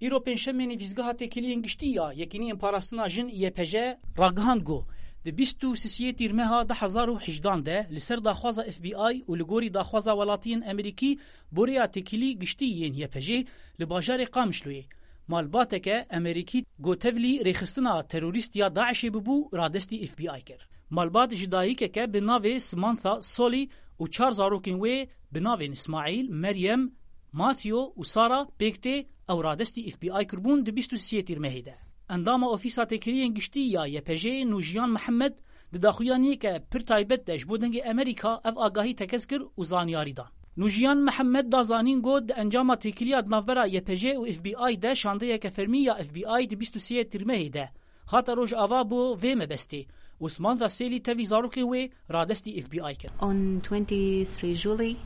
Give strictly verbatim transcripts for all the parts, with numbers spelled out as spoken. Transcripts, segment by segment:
Îro pêncşemê nivîzgeha têkiliyên giştî ya Yekîniyên Parastina Jin Y P J ragihand ku di bîst û sisiyê tîrmeha du hezar û hejdan de li ser daxwaza F B I û li gorî daxwaza welatiyên Amerîkî borêya têkilî giştî yên Y P J li bajarê Qamişloyê malbateke Amerîkî ku tevlî rêxistina terorîst ya DAIŞê bibû radestî F B I kir. Malbat ji dayikeke bi navê Samantha Solly û çar zarokên wê bi navên Îsmaîl, Meryem, Matthew û Sara pêk tê, ew radestî F B I kirbûn di bîst û sisiyê tîrmehê de. Endama Ofîsa Têkiliyên Giştî ya Y P J'ê Nûjiyan Mihemed di daxuyaniyeke pir taybet de ji bo Dengê Amerîka ev agahî tekez kir û zanyarî dan. Nûjiyan Mihemed da zanîn got, di encama têkiliya di navbera Y P J û F B I de şandeyeke fermî ya F B I di bîst û sê tîrmehê de hate Rojava bo vê mebestê û Samantha Solly tevî zarokên wê radestî F B I kir. On twenty-three July,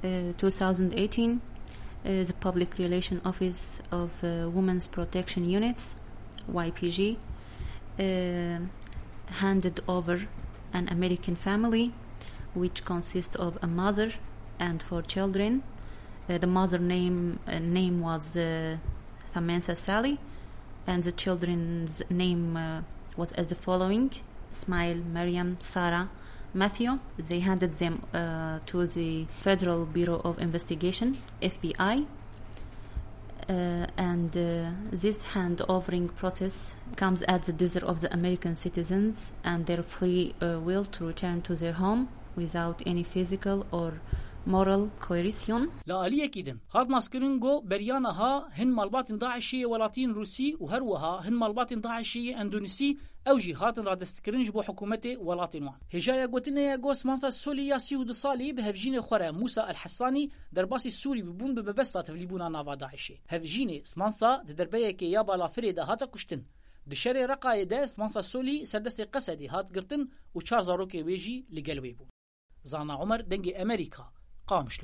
uh, two thousand eighteen, uh, the Public Relation Office of, uh, Women's Protection Units, Y P G, uh, handed over an American family, which consists of a mother and four children. Uh, the mother name, uh, name was, uh, Samantha Solly, and the children's name, uh, was as the following: Ismail, Maryam, Sarah, Matthew. They handed them, uh, to the Federal Bureau of Investigation, F B I. Uh, and, uh, this hand-overing process comes at the desire of the American citizens and their free, uh, will to return to their home without any physical or moral coercion. Li aliyekî din hat naskirin ku beriya niha hin malbatên DAIŞê yê welatiyên Rûsî û her wiha hin malbatên DAIŞê yê Endonîsî ew jî hatin radestkirin ji bo hikûmetê welatên wan. Hêjaya gotinê ye ku Samantha Solly ya sî û du salî bi hevjînê xwe re Mûsa El Hesanî derbasî Sûrî bibûn bi mebesta tevlîbûna nava DAIŞê. Hevjînê Samantha di derbeyekê ya balafirê de hate kuştin. Di şerê Reqayê de Samantha Solly serdestê Qesedê hat girtin û çar zarokê wê jî li gel wê bûn. Zana Omer, Dengê Amerîka, Qamişlo.